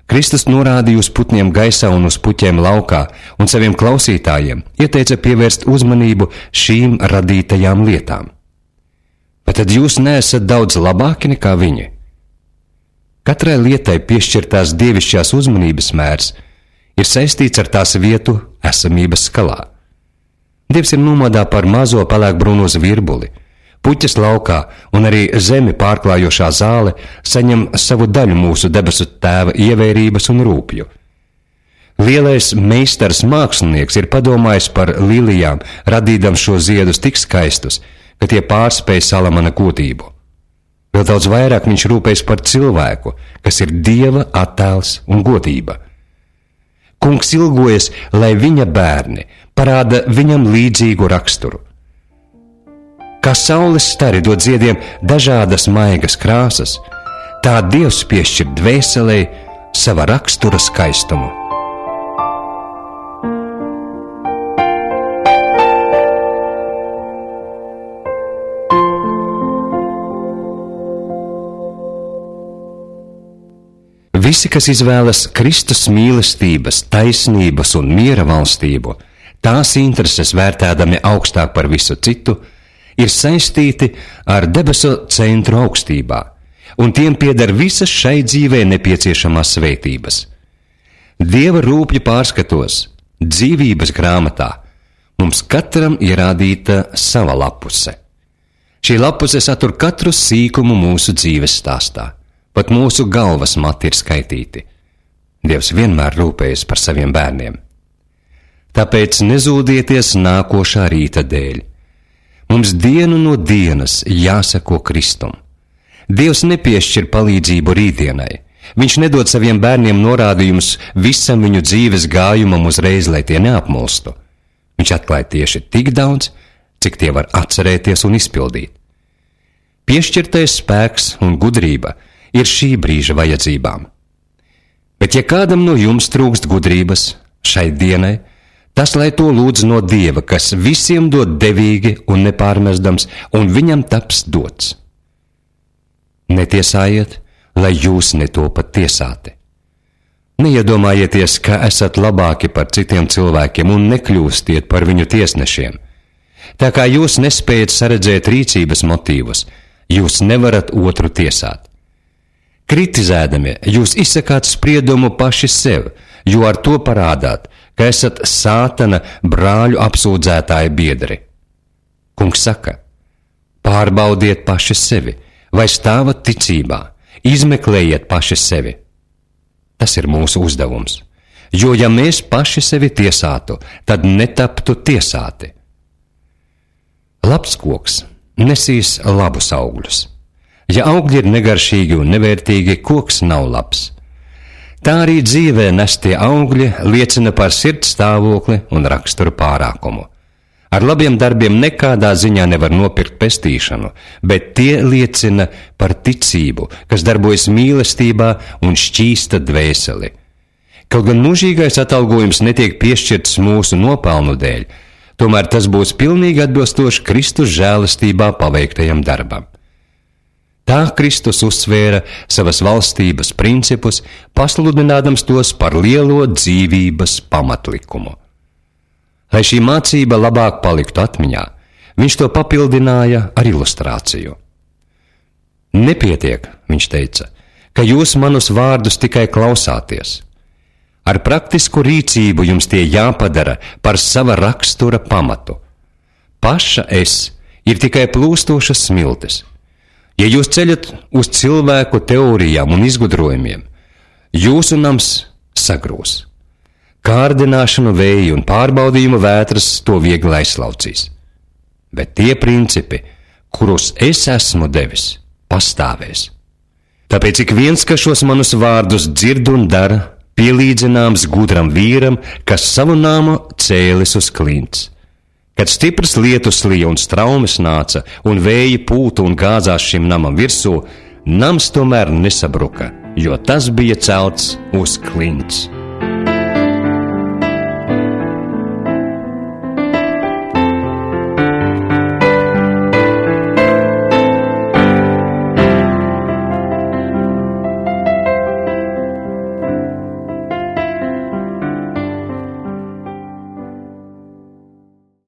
Kristus norādīja uz putniem gaisā un uz puķiem laukā, un saviem klausītājiem ieteica pievērst uzmanību šīm radītajām lietām. Bet tad jūs neesat daudz labāki nekā viņi? Katrai lietai piešķirtās dievišķās uzmanības mērs ir saistīts ar tās vietu esamības skalā. Dievs ir nomodā par mazo pelēkbrūno zvirbuli. Puķes laukā un arī zemi pārklājošā zāle saņem savu daļu mūsu debesu tēva ievērības un rūpju. Lielais meistars mākslinieks ir padomājis par lilijām, radīdam šo ziedus tik skaistus, ka tie pārspēj Salamana godību. Vēl daudz vairāk viņš rūpējas par cilvēku, kas ir Dieva attēls un godība. Kungs ilgojas, lai viņa bērni parāda viņam līdzīgu raksturu. Kā saules stari dod ziediem dažādas maigas krāsas, tā Dievs piešķir dvēselei sava rakstura skaistumu. Visi, kas izvēlas Kristus mīlestības, taisnības un miera valstību, tās intereses vērtēdami augstāk par visu citu, ir saistīti ar debesu centru augstībā, un tiem pieder visas šai dzīvē nepieciešamās svētības. Dieva rūpju pārskatos, dzīvības grāmatā, mums katram ierādīta sava lapuse. Šī lapuse satur katru sīkumu mūsu dzīves stāstā, pat mūsu galvas mati ir skaitīti. Dievs vienmēr rūpējas par saviem bērniem. Tāpēc nezūdieties nākošā rīta dēļ. Mums dienu no dienas jāseko Kristum. Dievs nepiešķir palīdzību rītdienai. Viņš nedod saviem bērniem norādījumus visam viņu dzīves gājumam uzreiz, lai tie neapmulstu. Viņš atklāja tieši tik daudz, cik tie var atcerēties un izpildīt. Piešķirtais spēks un gudrība ir šī brīža vajadzībām. Bet ja kādam no jums trūkst gudrības šai dienai, tas, lai to lūdz no Dieva, kas visiem dod devīgi un nepārmestams, un viņam taps dots. Netiesājiet, lai jūs netopat tiesāti. Neiedomājieties, ka esat labāki par citiem cilvēkiem un nekļūstiet par viņu tiesnešiem. Tā kā jūs nespējat saredzēt rīcības motīvus, jūs nevarat otru tiesāt. Kritizēdami, jūs izsakāt spriedumu paši sev, jo ar to parādāt, ka esat Sātana brāļu apsūdzētāji biedri. Kungs saka, pārbaudiet paši sevi, vai stāvat ticībā, izmeklējiet paši sevi. Tas ir mūsu uzdevums, jo ja mēs paši sevi tiesātu, tad netaptu tiesāti. Labs koks nesīs labus augļus. Ja augļi ir negaršīgi un nevērtīgi, koks nav labs. Tā arī dzīvē nestie augļi liecina par sirds stāvokli un raksturu pārākumu. Ar labiem darbiem nekādā ziņā nevar nopirkt pestīšanu, bet tie liecina par ticību, kas darbojas mīlestībā un šķīsta dvēseli. Kaut gan mūžīgais atalgojums netiek piešķirts mūsu nopelnu dēļ, tomēr tas būs pilnīgi atbilstoši Kristus žēlastībā paveiktajam darbam. Tā Kristus uzsvēra savas valstības principus, pasludinādams tos par lielo dzīvības pamatlikumu. Lai šī mācība labāk paliktu atmiņā, viņš to papildināja ar ilustrāciju. Nepietiek, viņš teica, ka jūs manus vārdus tikai klausāties. Ar praktisku rīcību jums tie jāpadara par sava rakstura pamatu. Paša es ir tikai plūstošas smiltis. Ja jūs ceļat uz cilvēku teorijām un izgudrojumiem, jūsu nams sagrūs. Kārdināšanu vēji un pārbaudījumu vētras to viegli aizslaucīs. Bet tie principi, kurus es esmu devis, pastāvēs. Tāpēc ik viens, kas šos manus vārdus dzird un dara, pielīdzināms gudram vīram, kas savu namu cēlis uz klints. Kad stipras lietus lija un straumes nāca, un vēji pūta un gāzās šim namam virsū, nams tomēr nesabruka, jo tas bija celts uz klints.